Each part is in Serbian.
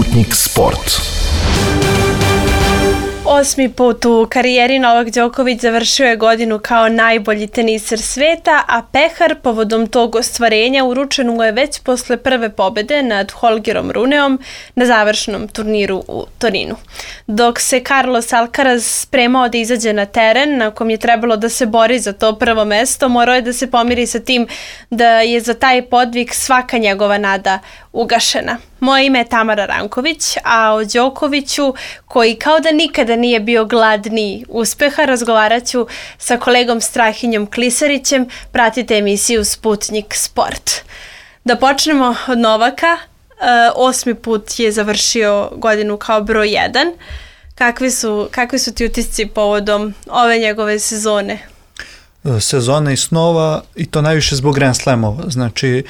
Sputnik Sport. 8. put u karijeri Novak Đoković završio je godinu kao najbolji teniser sveta, a pehar povodom tog ostvarenja uručen mu je već posle prve pobede nad Holgerom Runeom na završnom turniru u Torinu. Dok se Carlos Alcaraz spremao da izađe na teren, na kom je trebalo da se bori za to prvo mesto, morao je da se pomiri sa tim da je za taj podvig svaka njegova nada ugašena. Moje ime je Tamara Ranković, a o Đokoviću, koji kao da nikada nije bio gladni uspeha, razgovarat ću sa kolegom Strahinjom Klisarićem. Pratite emisiju Sputnik Sport. Da počnemo od Novaka. 8. put je završio godinu kao broj 1. Kakvi su ti utisci povodom ove njegove sezone? Sezona i snova, i to najviše zbog Grand Slamova. Znači,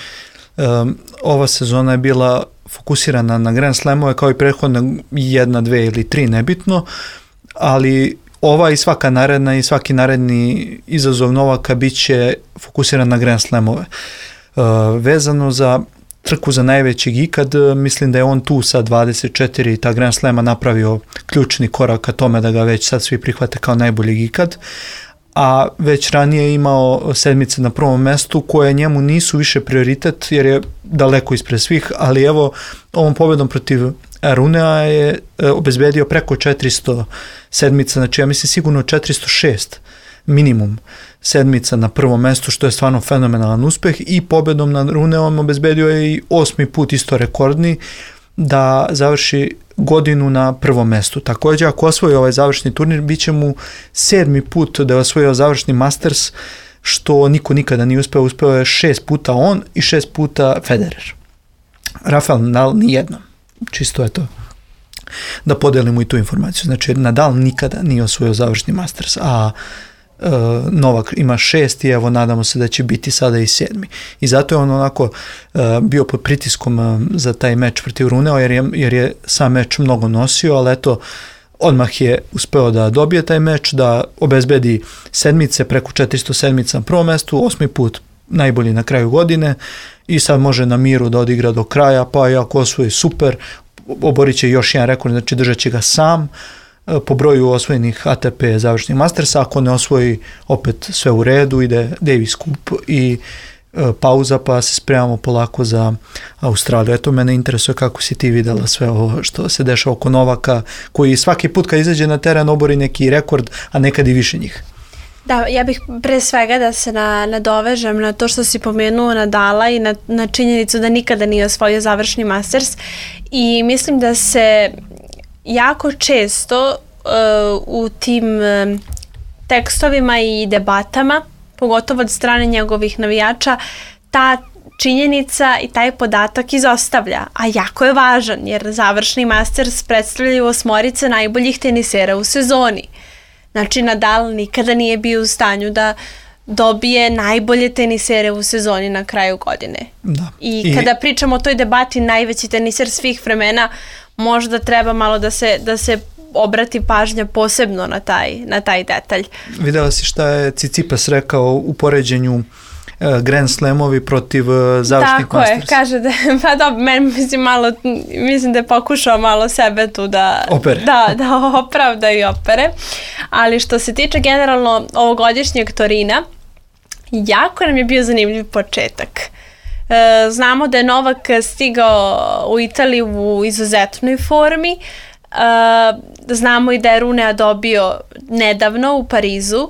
ova sezona je bila fokusirana na Grand Slamove kao i prethodna 1, 2 ili 3, nebitno, ali ova i svaka naredna i svaki naredni izazov Novaka bit će fokusiran na Grand Slamove. Vezano za trku za najvećeg ikad, mislim da je on tu sa 24 i ta Grand Slama napravio ključni korak ka tome da ga već sad svi prihvate kao najboljeg ikad, a već ranije je imao sedmice na prvom mestu koje njemu nisu više prioritet jer je daleko ispred svih, ali evo ovom pobedom protiv Runea je obezbedio preko 400 sedmica, znači ja mislim sigurno 406 minimum sedmica na prvom mestu, što je stvarno fenomenalan uspeh, i pobedom nad Runeom obezbedio je i 8. put isto rekordni da završi godinu na prvom mestu. Također, ako osvoji ovaj završni turnir, bit će mu 7. put da je osvojio završni Masters, što niko nikada nije uspeo. Uspeo je 6 puta on i 6 puta Federer. Rafael Nadal nijednom. Čisto je to da podelimo i tu informaciju. Znači, Nadal nikada nije osvojio završni Masters, a Novak ima 6 i evo nadamo se da će biti sada i 7. I zato je on onako bio pod pritiskom za taj meč protiv Runea jer je sam meč mnogo nosio, ali eto odmah je uspeo da dobije taj meč, da obezbedi sedmice, preko 400 sedmica na prvom mestu, 8. put najbolji na kraju godine i sad može na miru da odigra do kraja, pa i ako osvoji super, oborit će još jedan rekord, znači držat će ga sam po broju osvojenih ATP završnih Mastersa. Ako ne osvoji, opet sve u redu, ide Davis Cup i pauza, pa se spremamo polako za Australiju. Eto, mene interesuje kako si ti videla sve ovo što se dešava oko Novaka, koji svaki put kad izađe na teren obori neki rekord, a nekad i više njih. Da, ja bih pre svega da se nadovežem na to što si pomenuo Nadala i na činjenicu da nikada nije osvojio završni Masters, i mislim da se jako često u tim tekstovima i debatama, pogotovo od strane njegovih navijača, ta činjenica i taj podatak izostavlja, a jako je važan jer završni Masters predstavljaju 8 najboljih tenisera u sezoni. Znači, Nadal nikada nije bio u stanju da dobije najbolje tenisere u sezoni na kraju godine. Da. I kada pričamo o toj debati najveći teniser svih vremena, možda treba malo da se obrati pažnja posebno na taj detalj. Videla si šta je Tsitsipas rekao u poređenju Grand Slamovi protiv završnih Masters? Tako je, kaže da, pa dobro, mislim da je pokušao malo sebe tu da opravda i opere, ali što se tiče generalno ovogodišnjeg Torina, jako nam je bio zanimljiv početak. Znamo da je Novak stigao u Italiju u izuzetnoj formi, znamo i da je Runea dobio nedavno u Parizu,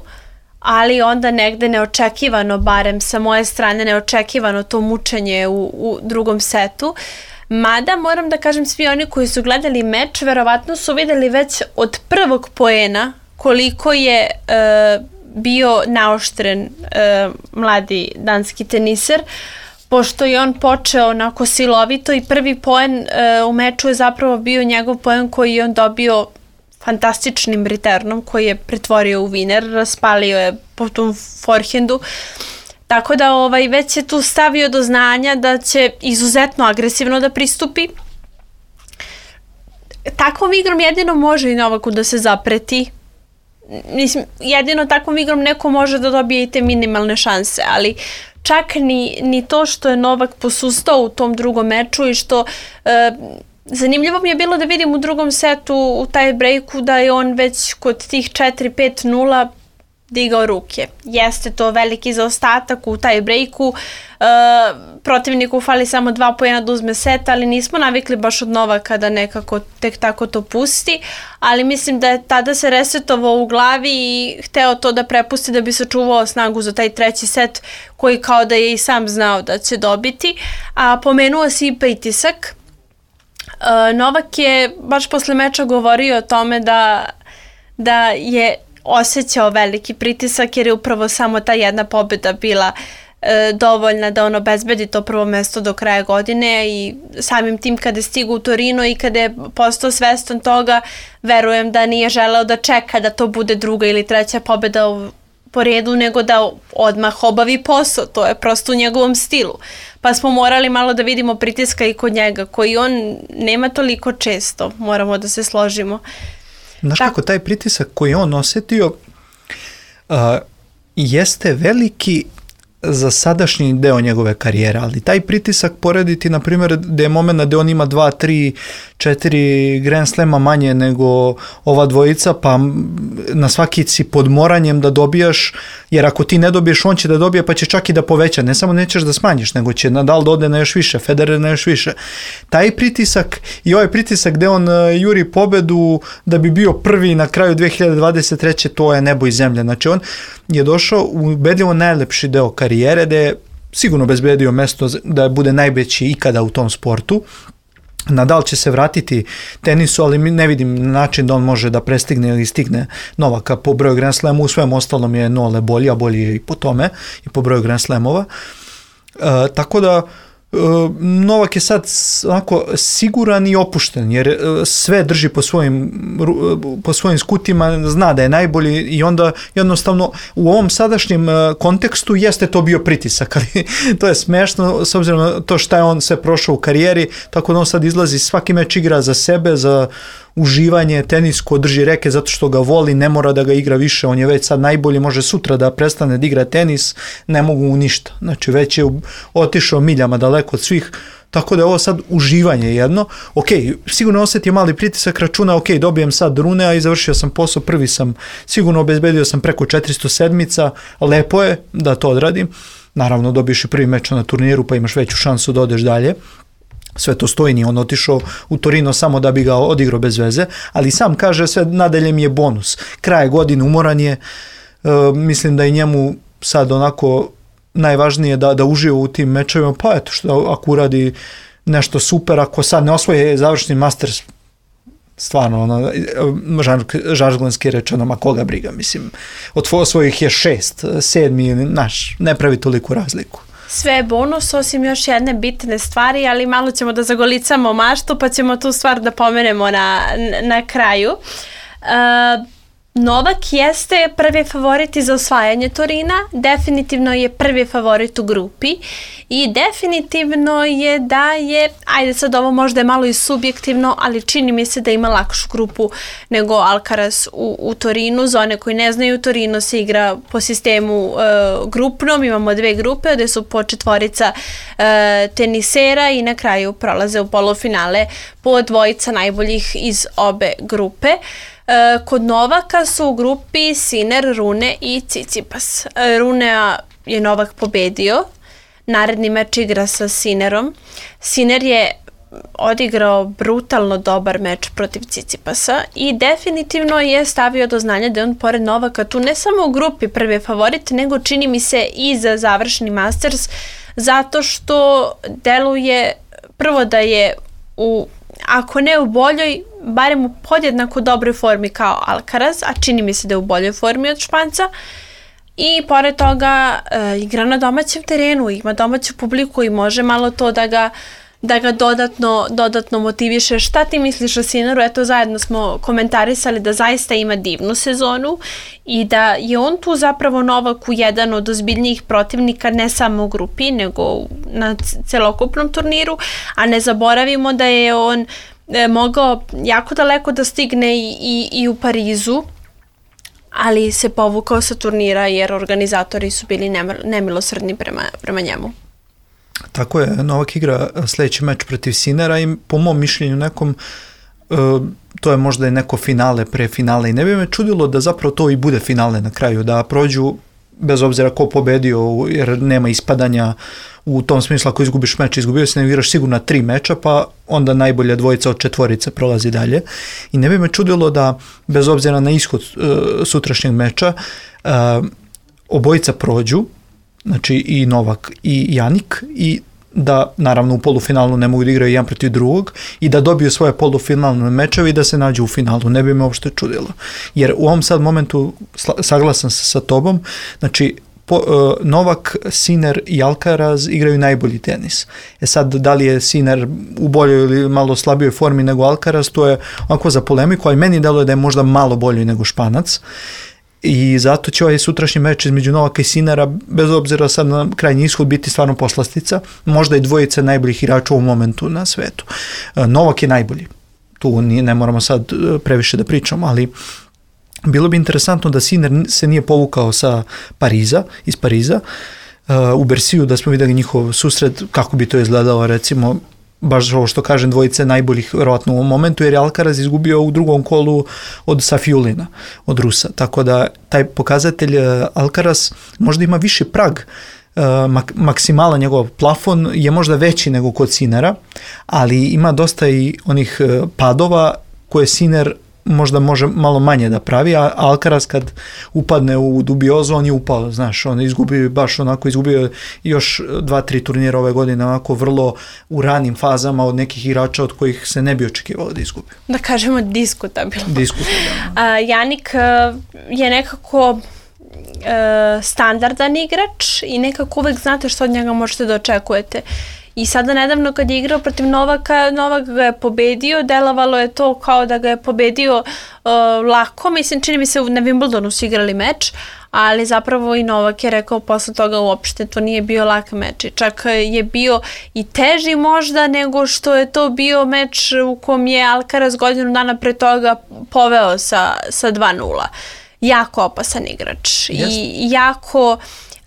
ali onda negde neočekivano, barem sa moje strane neočekivano, to mučenje u drugom setu. Mada moram da kažem, svi oni koji su gledali meč verovatno su videli već od prvog poena koliko je bio naoštren mladi danski teniser, pošto je on počeo onako silovito i prvi poen u meču je zapravo bio njegov poen koji je on dobio fantastičnim returnom koji je pretvorio u winer, raspalio je po tom forehandu. Tako da već je tu stavio do znanja da će izuzetno agresivno da pristupi. Takvom igrom jedino može i Novaku da se zapreti. Mislim, jedino takvom igrom neko može da dobije i te minimalne šanse, ali čak ni to što je Novak posustao u tom drugom meču i što zanimljivo mi je bilo da vidim u drugom setu u taj breaku da je on već kod tih 4-5-0 digao ruke. Jeste to veliki zaostatak u taj breaku, protivniku fali samo 2 poena da uzme set, ali nismo navikli baš od Novaka da nekako tek tako to pusti, ali mislim da je tada se resetovao u glavi i hteo to da prepusti da bi sačuvao snagu za taj treći set koji kao da je i sam znao da će dobiti. A pomenuo si i pritisak. Novak je baš posle meča govorio o tome da je osjećao veliki pritisak jer je upravo samo ta jedna pobjeda bila dovoljna da on obezbedi to prvo mesto do kraja godine i samim tim kada je stigao u Torino i kada je postao svestan toga, verujem da nije želeo da čeka da to bude druga ili treća pobjeda po redu, nego da odmah obavi posao, to je prosto u njegovom stilu. Pa smo morali malo da vidimo pritiska i kod njega, koji on nema toliko često, moramo da se složimo. Znaš kako, taj pritisak koji on osjetio jeste veliki za sadašnji deo njegove karijere, ali taj pritisak porediti, na primjer, da je moment da on ima 2, 3, 4 Grand Slema manje nego ova dvojica, pa na svaki si pod moranjem da dobijaš, jer ako ti ne dobiješ, on će da dobije, pa će čak i da poveća. Ne samo nećeš da smanjiš, nego će Nadal da ode na još više, Federer na još više. Taj pritisak i ovaj pritisak gde on juri pobedu da bi bio prvi na kraju 2023. to je nebo i zemlja. Znači on je došao u ubedljivo najlepši deo karijere, da je sigurno obezbedio mesto da bude najveći ikada u tom sportu. Nadal će se vratiti tenisu, ali ne vidim način da on može da prestigne ili stigne Novaka po broju Grand Slamu. U svem ostalom je Nole bolji, a bolji je i po tome, i po broju Grand Slamova. Tako da Novak je sad onako siguran i opušten, jer sve drži po svojim skutima, zna da je najbolji i onda jednostavno u ovom sadašnjem kontekstu jeste to bio pritisak, ali to je smešno s obzirom na to šta je on sve prošao u karijeri, tako da on sad izlazi, svaki meč igra za sebe, za uživanje, tenisko, drži reke zato što ga voli, ne mora da ga igra više, on je već sad najbolji, može sutra da prestane da igra tenis, ne mogu mu ništa, znači već je otišao miljama daleko od svih, tako da je ovo sad uživanje jedno. Ok, sigurno osjetio mali pritisak, računa, ok, dobijem sad rune, a i završio sam posao, prvi sam, sigurno obezbedio sam preko 400 sedmica, lepo je da to odradim, naravno dobiješ i prvi meč na turniru pa imaš veću šansu da odeš dalje. Sve to stoji, nije on otišao u Torino samo da bi ga odigrao bez veze, ali sam kaže sve nadalje mi je bonus. Kraj godine, umoran je, mislim da je njemu sad onako najvažnije da uživa u tim mečevima, pa eto što ako uradi nešto super, ako sad ne osvoje završni Masters, stvarno, žargonski rečeno, ma koga briga, mislim, od svojih je 6, 7, naš, ne pravi toliku razliku. Sve je bonus, osim još jedne bitne stvari, ali malo ćemo da zagolicamo maštu, pa ćemo tu stvar da pomenemo na kraju. Novak jeste prvi favorit za osvajanje Torina, definitivno je prvi favorit u grupi i definitivno je da je, ajde sad ovo možda je malo i subjektivno, ali čini mi se da ima lakšu grupu nego Alcaraz u Torinu. Za one koji ne znaju, Torino se igra po sistemu grupnom, imamo 2 grupe gde su po 4 tenisera i na kraju prolaze u polufinale po 2 najboljih iz obe grupe. Kod Novaka su u grupi Sinner, Rune i Tsitsipas. Runea je Novak pobedio, naredni meč igra sa Sinnerom. Sinner je odigrao brutalno dobar meč protiv Tsitsipasa i definitivno je stavio do znanja da je on pored Novaka tu ne samo u grupi prvi favorit, nego čini mi se i za završni Masters, zato što deluje prvo da je ako ne u boljoj, barem u podjednako dobroj formi kao Alcaraz, a čini mi se da je u boljoj formi od Španca. I pored toga igra na domaćem terenu, ima domaću publiku i može malo to da ga dodatno motiviše. Šta ti misliš o Sinneru? Eto, zajedno smo komentarisali da zaista ima divnu sezonu i da je on tu zapravo Novaku jedan od ozbiljnijih protivnika, ne samo u grupi, nego na celokupnom turniru, a ne zaboravimo da je on mogao jako daleko da stigne i u Parizu, ali se povukao sa turnira jer organizatori su bili nemilosrdni prema njemu. Tako je, Novak igra sljedeći meč protiv Sinera i po mom mišljenju nekom to je možda i neko finale pre finale i ne bi me čudilo da zapravo to i bude finale na kraju, da prođu bez obzira ko pobedio, jer nema ispadanja u tom smislu. Ako izgubiš meč, izgubio si, ne igraš sigurno 3 meča, pa onda najbolja dvojica od 4 prolazi dalje. I ne bi me čudilo da, bez obzira na ishod sutrašnjeg meča, obojica prođu, znači i Novak i Jannik, i da naravno u polufinalu ne mogu da igraju jedan protiv drugog i da dobiju svoje polufinalne mečeve i da se nađu u finalu. Ne bi me uopšte čudilo. Jer u ovom sad momentu saglasan se sa tobom, znači Novak, Sinner i Alcaraz igraju najbolji tenis. Sad, da li je Sinner u boljoj ili malo slabijoj formi nego Alcaraz, to je onako za polemiku, ali meni deluje da je možda malo bolji nego Španac. I zato će ovaj sutrašnji meč između Novaka i Sinnera, bez obzira sad na krajnji ishod, biti stvarno poslastica. Možda i dvojica najboljih igrača u momentu na svetu. Novak je najbolji. Tu ne moramo sad previše da pričamo, ali bilo bi interesantno da Sinner se nije povukao iz Pariza, u Bersiju, da smo vidjeli njihov susret, kako bi to izgledalo, recimo, baš ovo što kažem, dvojice najboljih verovatno u ovom momentu, jer je Alcaraz izgubio u drugom kolu od Safiulina, od Rusa. Tako da taj pokazatelj Alcaraz možda ima viši prag, maksimalan njegov plafon je možda veći nego kod Sinnera, ali ima dosta i onih padova koje Sinner možda može malo manje da pravi, a Alcaraz kad upadne u dubiozu, on je upao, znaš, on izgubio još 2-3 turnira ove godine, onako vrlo u ranim fazama od nekih igrača od kojih se ne bi očekivalo da izgubi. Da kažemo diskutabilno. Jannik je nekako standardan igrač i nekako uvek znate što od njega možete da očekujete. I sada nedavno kad je igrao protiv Novaka, Novak ga je pobedio, delovalo je to kao da ga je pobedio lako, mislim, čini mi se na Wimbledonu su igrali meč, ali zapravo i Novak je rekao posle toga uopšte to nije bio lak meč i čak je bio i teži možda nego što je to bio meč u kom je Alcaraz godinu dana pre toga poveo sa 2-0. Jako opasan igrač i jako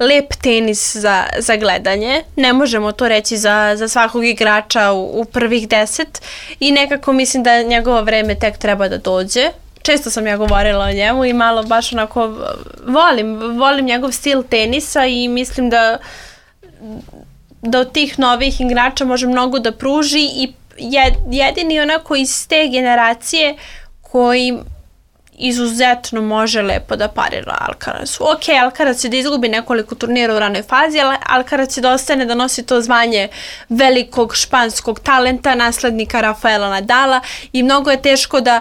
lep tenis za gledanje. Ne možemo to reći za svakog igrača u prvih 10 i nekako mislim da njegovo vreme tek treba da dođe. Često sam ja govorila o njemu i malo baš onako volim njegov stil tenisa i mislim da od tih novih igrača može mnogo da pruži i jedini onako iz te generacije koji izuzetno može lepo da parira Alcarazu. Ok, Alcaraz će da izgubi nekoliko turnira u ranoj fazi, ali Alcaraz će da ostane da nosi to zvanje velikog španskog talenta, naslednika Rafaela Nadala i mnogo je teško da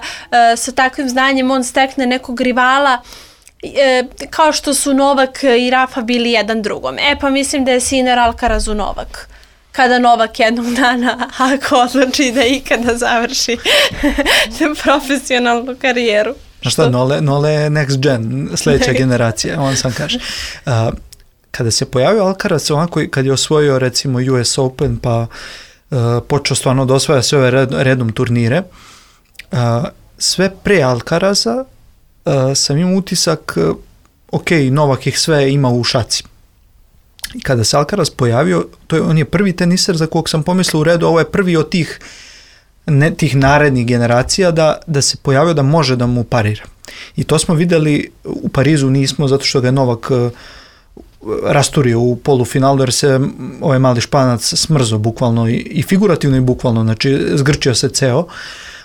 sa takvim znanjem on stekne nekog rivala kao što su Novak i Rafa bili jedan drugom. Pa mislim da je Sinner Alcarazu Novak. Kada Novak jednog dana, ako odluči da ikada završi profesionalnu karijeru. Šta, Nole je next gen, sljedeća generacija, on sam kaže. Kada se pojavio Alcaraz, onako kad je osvojio recimo US Open, pa počeo stvarno da osvaja sve ove redom turnire, sve pre Alcaraza sam imao utisak, ok, Novak ih sve ima u šaci. I kada se Alcaraz pojavio, on je prvi teniser za kog sam pomislio u redu, ovo je prvi od tih narednih generacija da se pojavio da može da mu parira. I to smo videli u Parizu, nismo, zato što ga je Novak rasturio u polufinalu, jer se ovaj mali Španac smrzo bukvalno i figurativno i bukvalno, znači zgrčio se ceo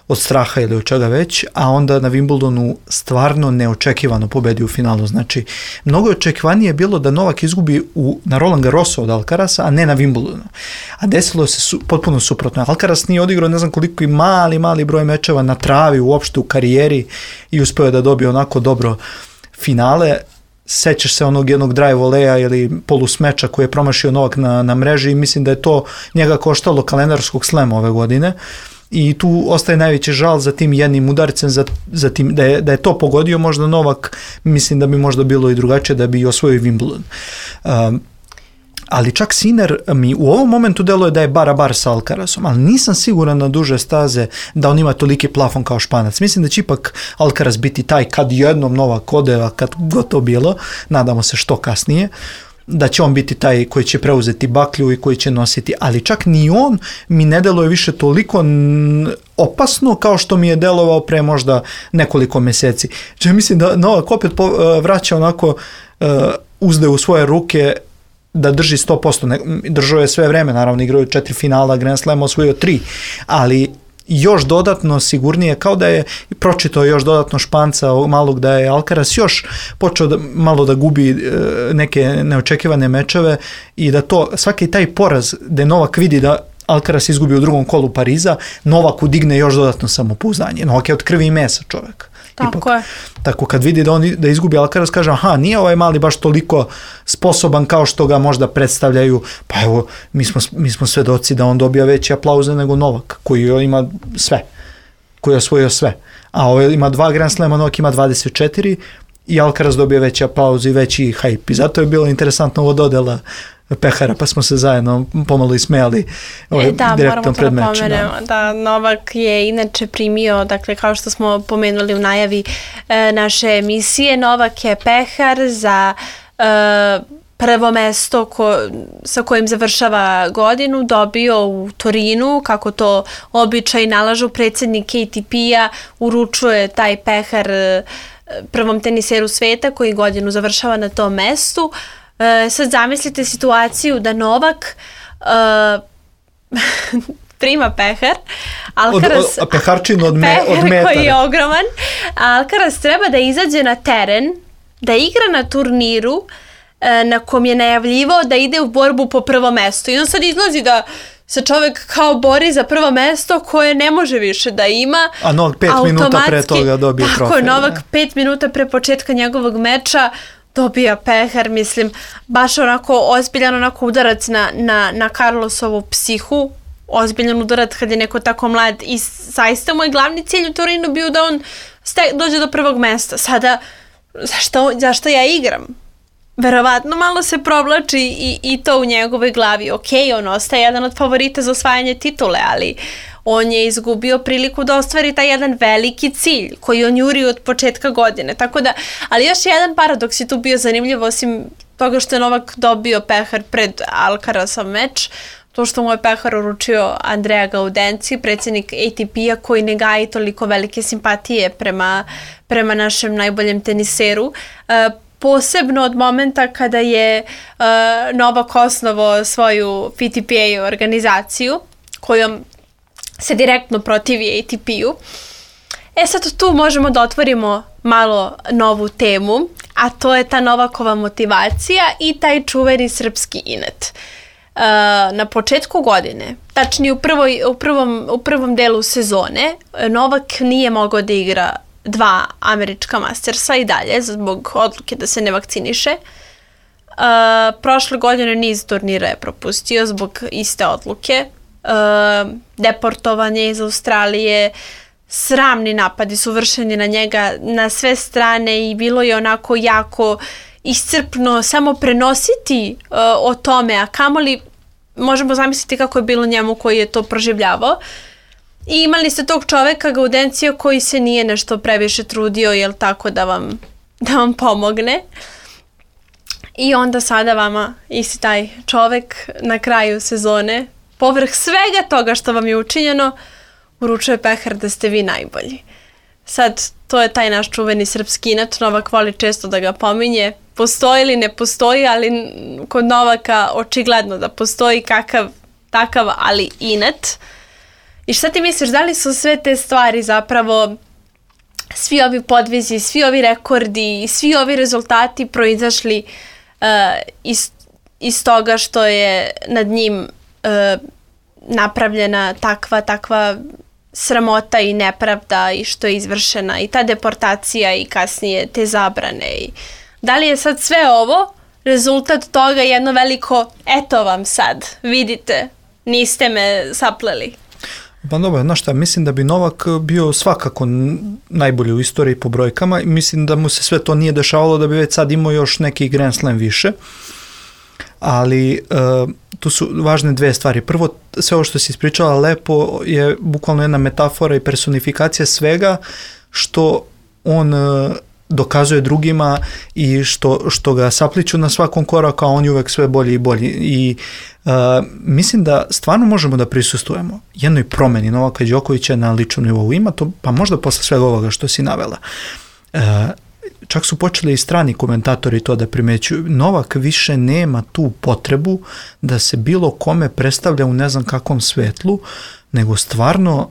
od straha ili od čega već, a onda na Wimbledonu stvarno neočekivano pobedi u finalu. Znači, mnogo očekivanije bilo da Novak izgubi na Roland Garrosu od Alcaraza, a ne na Wimbledonu. A desilo se potpuno suprotno. Alcaraz nije odigrao ne znam koliko i mali broj mečeva na travi uopšte u karijeri i uspeo da dobije onako dobro finale. Sećaš se onog jednog drive voleja ili polusmeča koji je promašio Novak na mreži i mislim da je to njega koštalo kalendarskog slema ove godine. I tu ostaje najveći žal za tim jednim udarcem, za tim, da je to pogodio možda Novak, mislim da bi možda bilo i drugačije da bi osvojio Wimbledon. Ali čak Sinner mi u ovom momentu deluje da je bar sa Alcarazom, ali nisam siguran na duže staze da on ima toliki plafon kao Španac. Mislim da će ipak Alcaraz biti taj kad jednom Novak ode, a kad god to bilo, nadamo se što kasnije, da će on biti taj koji će preuzeti baklju i koji će nositi, ali čak ni on mi ne deluje više toliko opasno kao što mi je delovao pre možda nekoliko meseci. Znači, mislim da Novak opet vraća onako uzde u svoje ruke da drži 100%, držao je sve vreme, naravno igrao je 4 finala, Grand Slam osvojio 3, ali još dodatno sigurnije, kao da je pročitao još dodatno Španca malog, da je Alcaraz još počeo malo da gubi neke neočekivane mečeve i da to, svaki taj poraz da Novak vidi da Alcaraz izgubi u drugom kolu Pariza, Novaku digne još dodatno samopouzdanje. Novak je od krvi i mesa čovjek. Tako je. Tako kad vidi da izgubi Alcaraz, kaže, aha, nije ovaj mali baš toliko sposoban kao što ga možda predstavljaju, pa evo, mi smo svedoci da on dobija veći aplauze nego Novak, koji ima sve, koji je osvojio sve. A ovaj ima 2 Grand Slema, Novak ima 24 i Alcaraz dobija veći aplauz i veći hype. I zato je bilo interesantno ovo dodela pehara, pa smo se zajedno pomalo ismejali direktno pred mečem. Da, Novak je inače primio, dakle, kao što smo pomenuli u najavi naše emisije, Novak je pehar za prvo mesto sa kojim završava godinu dobio u Torinu, kako to običaj nalažu. Predsjednik ATP-a uručuje taj pehar prvom teniseru sveta koji godinu završava na tom mestu. Sad zamislite situaciju da Novak prima pehar, peharčinu od metara. Koji je ogroman. Alcaraz treba da izađe na teren, da igra na turniru na kom je najavljivao da ide u borbu po prvo mesto. I on sad izlazi da se čovjek kao bori za prvo mesto koje ne može više da ima. A Novak 5 minuta pre toga dobije trofej. Tako je, Novak 5 minuta pre početka njegovog meča dobija pehar, mislim, baš onako ozbiljan onako udarac na Carlosovu psihu, ozbiljan udarac kad je neko tako mlad i zaista moj glavni cilj u Torinu bio da on dođe do prvog mesta. Sada, zašto ja igram? Verovatno malo se provlači i to u njegovoj glavi. Ok, on ostaje jedan od favorita za osvajanje titule, ali on je izgubio priliku da ostvari taj jedan veliki cilj koji on juri od početka godine. Tako da, ali još jedan paradoks je tu bio zanimljiv, osim toga što je Novak dobio pehar pred Alcarazov meč, to što mu je pehar uručio Andrea Gaudenzi, predsjednik ATP-a, koji ne gaji toliko velike simpatije prema našem najboljem teniseru. Posebno od momenta kada je Novak osnovao svoju PTPA organizaciju, kojom se direktno protivi ATP-u. Sad tu možemo da otvorimo malo novu temu, a to je ta Novakova motivacija i taj čuveni srpski inat. Na početku godine, tačnije u prvom delu sezone, Novak nije mogao da igra 2 američka mastersa i dalje zbog odluke da se ne vakciniše. Prošle godine niz turnira je propustio zbog iste odluke. Deportovan je iz Australije, sramni napadi su vršeni na njega na sve strane i bilo je onako jako iscrpno samo prenositi o tome, a kamoli možemo zamisliti kako je bilo njemu koji je to proživljavao. I imali ste tog čoveka Gaudencija koji se nije nešto previše trudio, jel tako, da vam pomogne. I onda sada vama isti taj čovek na kraju sezone, povrh svega toga što vam je učinjeno, uručuje pehar da ste vi najbolji. Sad, to je taj naš čuveni srpski inat, Novak voli često da ga pominje. Postoji ili ne postoji, ali kod Novaka očigledno da postoji takav, ali inat. I šta ti misliš, da li su sve te stvari zapravo, svi ovi podvizi, svi ovi rekordi, svi ovi rezultati proizašli iz toga što je nad njim napravljena takva sramota i nepravda i što je izvršena i ta deportacija i kasnije te zabrane. Da li je sad sve ovo rezultat toga jedno veliko eto vam sad, vidite, niste me sapleli? Pa dobro, znaš šta, mislim da bi Novak bio svakako najbolji u istoriji po brojkama i mislim da mu se sve to nije dešavalo da bi već sad imao još neki Grand Slam više. Ali tu su važne 2 stvari. Prvo, sve ovo što si ispričala lepo je bukvalno jedna metafora i personifikacija svega što on dokazuje drugima i što ga sapliću na svakom koraku, a on je uvek sve bolji i bolji. I mislim da stvarno možemo da prisustvujemo jednoj promeni Novaka Đokovića na ličnom nivou. Ima to, pa možda posle svega ovoga što si navela. Čak su počeli i strani komentatori to da primećuju. Novak više nema tu potrebu da se bilo kome predstavlja u ne znam kakvom svetlu, nego stvarno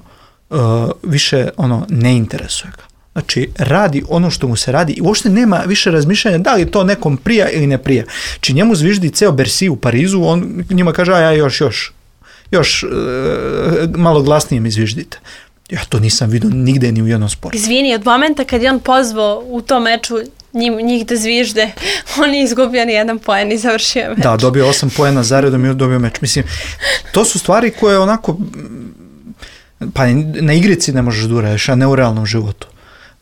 više ne interesuje ga. Znači, radi ono što mu se radi i uopšte nema više razmišljanja da li to nekom prija ili ne prija. Či njemu zviždi ceo Bercy u Parizu, on njima kaže, ja još malo glasnije mi zviždite. Ja to nisam vidio nigde ni u jednom sportu. Izvini, od momenta kad je on pozvao u tom meču njih da zvižde, on je izgubio ni jedan poen i završio meč. Da, dobio 8 poena zaredom i dobio meč. Mislim, to su stvari koje onako, pa na igrici ne možeš da uradiš, a ne u realnom životu.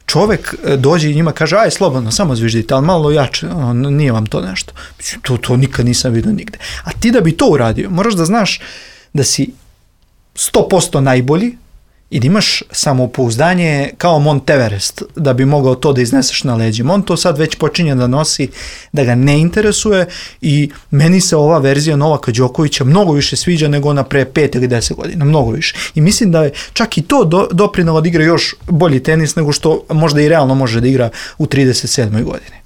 Čovek dođe i njima kaže, aj slobodno, samo zviždite, ali malo jače, nije vam to nešto. To nikad nisam vidio nigde. A ti da bi to uradio, moraš da znaš da si 100% najbolji i da imaš samopouzdanje kao Mont Everest, da bi mogao to da izneseš na leđima. On to sad već počinje da nosi, da ga ne interesuje i meni se ova verzija Novaka Đokovića mnogo više sviđa nego ona pre 5 ili 10 godina, mnogo više. I mislim da je čak i to doprinelo da igra još bolji tenis nego što možda i realno može da igra u 37. godini.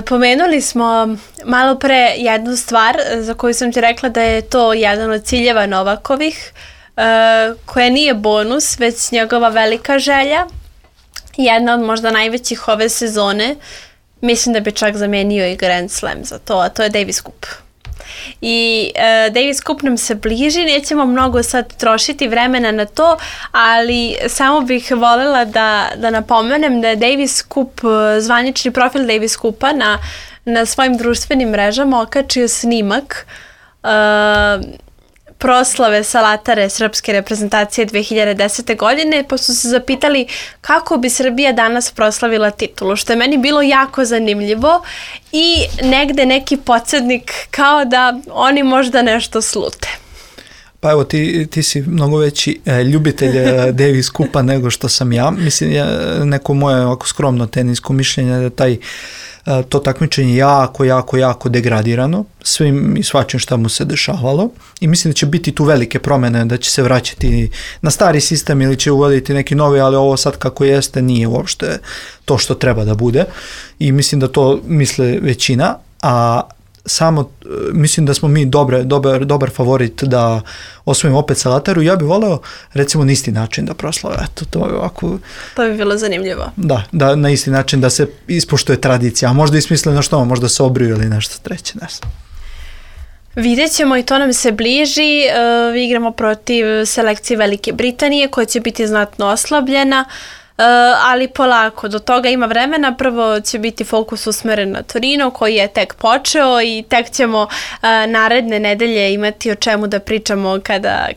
Pomenuli smo malo pre jednu stvar za koju sam ti rekla da je to jedan od ciljeva Novakovih, koja nije bonus, već njegova velika želja, jedna od možda najvećih ove sezone, mislim da bi čak zamenio i Grand Slam za to, a to je Davis Cup. I Davis Cup nam se bliži, nećemo mnogo sad trošiti vremena na to, ali samo bih voljela da napomenem da je Davis Cup, zvanični profil Davis Cupa na svojim društvenim mrežama okačio snimak proslave Salatare srpske reprezentacije 2010. godine, pa su se zapitali kako bi Srbija danas proslavila titulu, što je meni bilo jako zanimljivo i negde neki podsjetnik kao da oni možda nešto slute. Pa evo, ti si mnogo veći ljubitelj Davis Cupa nego što sam ja. Mislim, neko moje ovako skromno tenisko mišljenje da to takmičenje jako degradirano svim i svačim šta mu se dešavalo i mislim da će biti tu velike promene, da će se vraćati na stari sistem ili će uvoditi neki novi, ali ovo sad kako jeste nije uopšte to što treba da bude i mislim da to misle većina, a samo mislim da smo mi dobar favorit da osvojimo opet Salataru. Ja bih voleo recimo na isti način da proslave. Eto, to je ovako... To bi bilo zanimljivo. Da na isti način da se ispoštuje tradicija, a možda i smisleno što, možda se obriju ili nešto treće. Vidjet ćemo i to nam se bliži. Igramo protiv selekcije Velike Britanije koja će biti znatno oslabljena. Ali polako, do toga ima vremena. Prvo će biti fokus usmeren na Torino koji je tek počeo i tek ćemo naredne nedelje imati o čemu da pričamo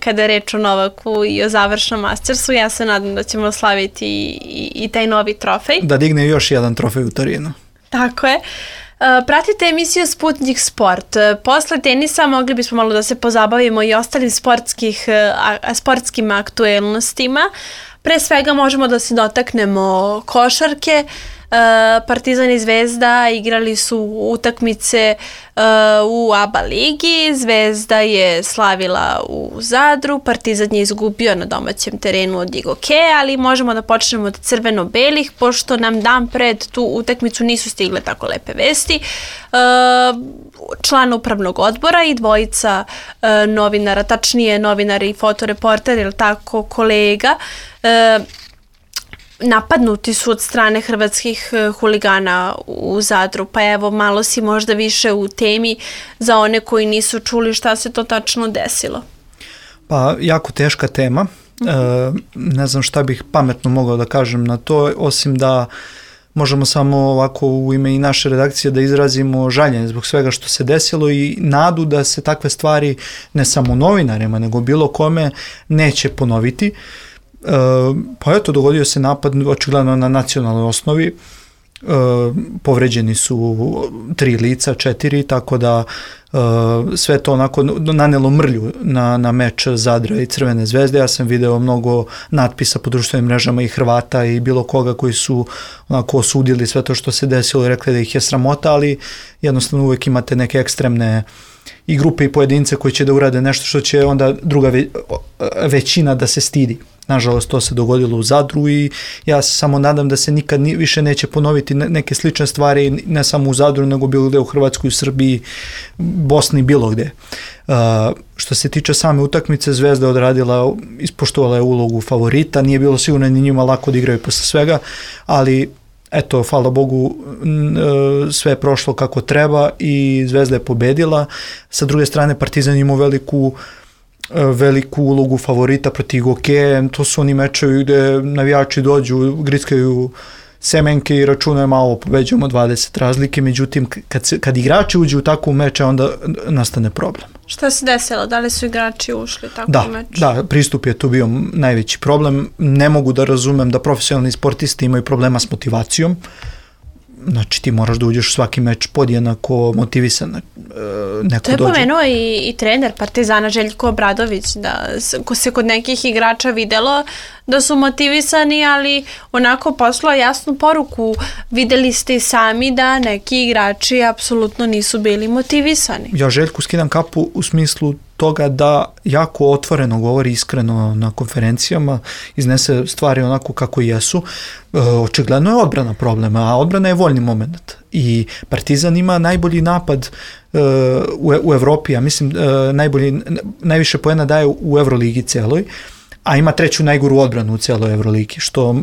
kada je reč o Novaku i o završnom Mastersu. Ja se nadam da ćemo slaviti i taj novi trofej. Da digne još jedan trofej u Torinu. Tako je. Pratite emisiju Sputnik Sport. Posle tenisa mogli bismo malo da se pozabavimo i ostalim sportskim aktuelnostima. Pre svega možemo da se dotaknemo košarke. Partizan i Zvezda igrali su utakmice u ABA ligi, Zvezda je slavila u Zadru, Partizan je izgubio na domaćem terenu od Igoke, ali možemo da počnemo od crveno-belih, pošto nam dan pred tu utakmicu nisu stigle tako lepe vesti. Član upravnog odbora i dvojica novinara, tačnije novinar i fotoreporter, ili tako, kolega, napadnuti su od strane hrvatskih huligana u Zadru, pa evo malo si možda više u temi za one koji nisu čuli šta se to tačno desilo. Pa jako teška tema, ne znam šta bih pametno mogao da kažem na to, osim da možemo samo ovako u ime i naše redakcije da izrazimo žaljenje zbog svega što se desilo i nadu da se takve stvari ne samo novinarima nego bilo kome neće ponoviti. Pa eto, dogodio se napad očigledno na nacionalnoj osnovi povređeni su 3 lica, 4, tako da sve to onako nanelo mrlju na meč Zadra i Crvene zvezde. Ja sam video mnogo natpisa po društvenim mrežama i Hrvata i bilo koga koji su onako osudili sve to što se desilo i rekli da ih je sramota, ali jednostavno uvijek imate neke ekstremne i grupe i pojedince koji će da urade nešto što će onda druga većina da se stidi. Nažalost, to se dogodilo u Zadru i ja se samo nadam da se nikad više neće ponoviti neke slične stvari, ne samo u Zadru, nego bilo gde u Hrvatskoj, u Srbiji, Bosni, bilo gde. Što se tiče same utakmice, Zvezda je odradila, ispoštovala je ulogu favorita, nije bilo sigurno ni njima lako da igraju posle svega, ali eto, hvala Bogu, sve je prošlo kako treba i Zvezda je pobedila. Sa druge strane, Partizan imao veliku ulogu favorita protiv Gokeje. To su oni mečevi gde navijači dođu, grickaju semenke i računaju malo, pobeđujemo 20 razlike, međutim kad igrači uđu u takvu meč, onda nastane problem. Šta se desilo? Da li su igrači ušli tako u meč? Da, pristup je tu bio najveći problem. Ne mogu da razumem da profesionalni sportisti imaju problema s motivacijom. Znači ti moraš da uđeš u svaki meč podjednako motivisan. To je pomenuo i trener Partizana Željko Obradović, da se kod nekih igrača videlo da su motivisani, ali onako poslao jasnu poruku. Videli ste i sami da neki igrači apsolutno nisu bili motivisani. Ja Željku skidam kapu u smislu toga da jako otvoreno govori, iskreno na konferencijama, iznese stvari onako kako jesu. Očigledno je odbrana problema, a odbrana je voljni moment. I Partizan ima najbolji napad u Evropi, ja mislim najviše poena daje u Evroligi celoj, a ima 3. najgoru odbranu u celoj Evroligi, što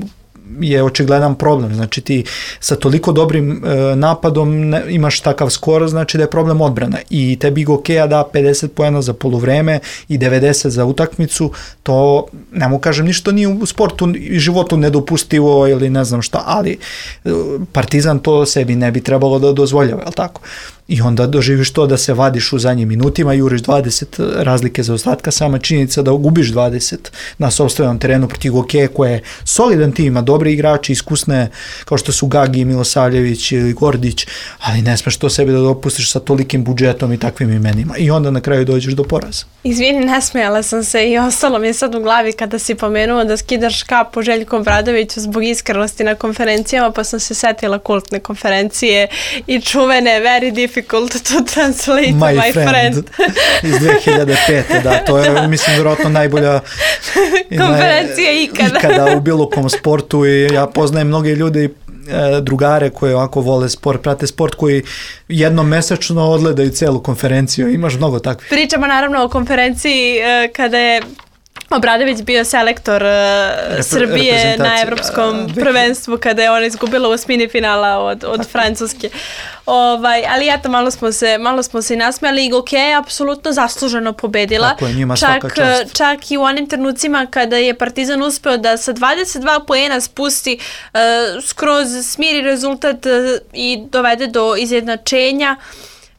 je očigledan problem. Znači ti sa toliko dobrim napadom imaš takav skor, znači da je problem odbrana. I tebi Gokeja da 50 poena za poluvreme i 90 za utakmicu, to ne mogu kažem ništa nije u sportu i životu nedopustivo ili ne znam šta, ali Partizan to sebi ne bi trebalo da dozvoljava, je li tako? I onda doživiš to da se vadiš u zadnjim minutima, juriš 20 razlike za ostatka, sama činjenica da gubiš 20 na sopstvenom terenu protiv Gokeje koja je solidan tim, ima dobre igrači, iskusne kao što su Gagi, Milosavljević ili Gordić, ali ne smeš to sebi da dopustiš sa tolikim budžetom i takvim imenima. I onda na kraju dođeš do poraza. Izvini, nasmejala sam se i ostalo mi je sad u glavi kada si pomenuo da skidaš kapu Željku Obradoviću zbog iskrenosti na konferencijama, pa sam se setila kultne konferencije i čuvene very difficult to translate my friend. Iz 2005. Da, to je, mislim, vjerojatno najbolja konferencija ikada u bilo kom sportu i ja poznajem mnoge ljude, drugare koji ovako vole sport, prate sport, koji jednom mesečno odgledaju celu konferenciju. Imaš mnogo takvih. Pričamo naravno o konferenciji kada je Obradović bio selektor Srbije na evropskom prvenstvu kada je ona izgubila u osmini finala od Francuske. Ali eto, malo smo se i nasmijali i Gokeja je apsolutno zasluženo pobedila. Tako je, njima svaka čast. Čak i u onim trenucima kada je Partizan uspeo da sa 22 poena spusti, skroz smiri rezultat i dovede do izjednačenja.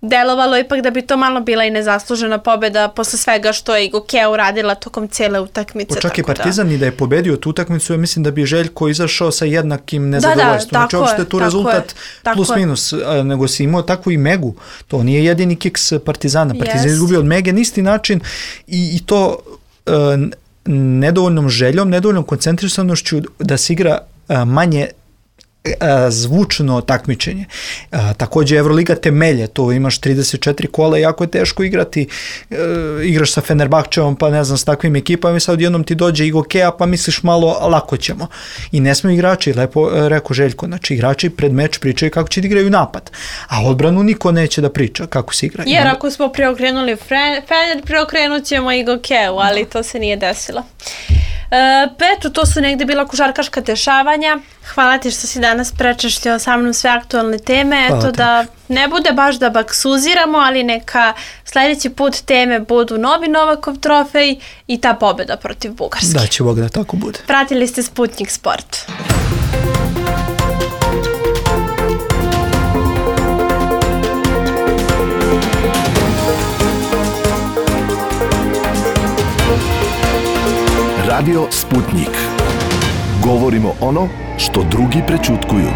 Delovalo ipak da bi to malo bila i nezaslužena pobjeda posle svega što je i Gokeja uradila tokom cijele utakmice. Čak i Partizan i da je pobedio tu utakmicu, ja mislim da bi Željko izašao sa jednakim nezadovoljstvom. Znači uopšte tu rezultat plus minus, nego si imao takvu i Megu. To nije jedini kiks Partizana. Partizan je izgubio od Mege na isti način i to nedovoljnom željom, nedovoljnom koncentrisanošću da se igra manje zvučno takmičenje. Također Evroliga temelje, to imaš 34 kola, jako je teško igrati, igraš sa Fenerbahčevom, pa ne znam, s takvim ekipama i sad jednom ti dođe i Gokeja, pa misliš malo lako ćemo. I ne smiju igrači, lepo rekao Željko, znači igrači pred meč pričaju kako će da igraju napad, a odbranu niko neće da priča kako se igra. Jer ako smo preokrenuli Fener, preokrenut ćemo i Gokeju, ali to se nije desilo. Petu, to su negde bila košarkaška dešavanja. Hvala ti što si danas prečešljao sa mnom sve aktualne teme. Eto da ne bude baš da baksuziramo, ali neka sljedeći put teme budu novi Novakov trofej i ta pobjeda protiv Bugarske. Da će Bog da tako bude. Pratili ste Sputnik Sport. Radio Sputnik. Govorimo ono što drugi prećutkuju.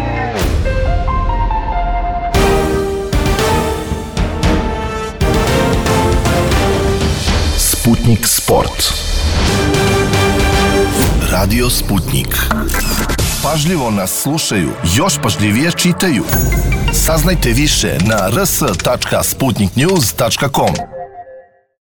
Sputnik Sport. Radio Sputnik. Pažljivo nas slušaju, još pažljivije čitaju. Saznajte više na rs.sputniknews.com.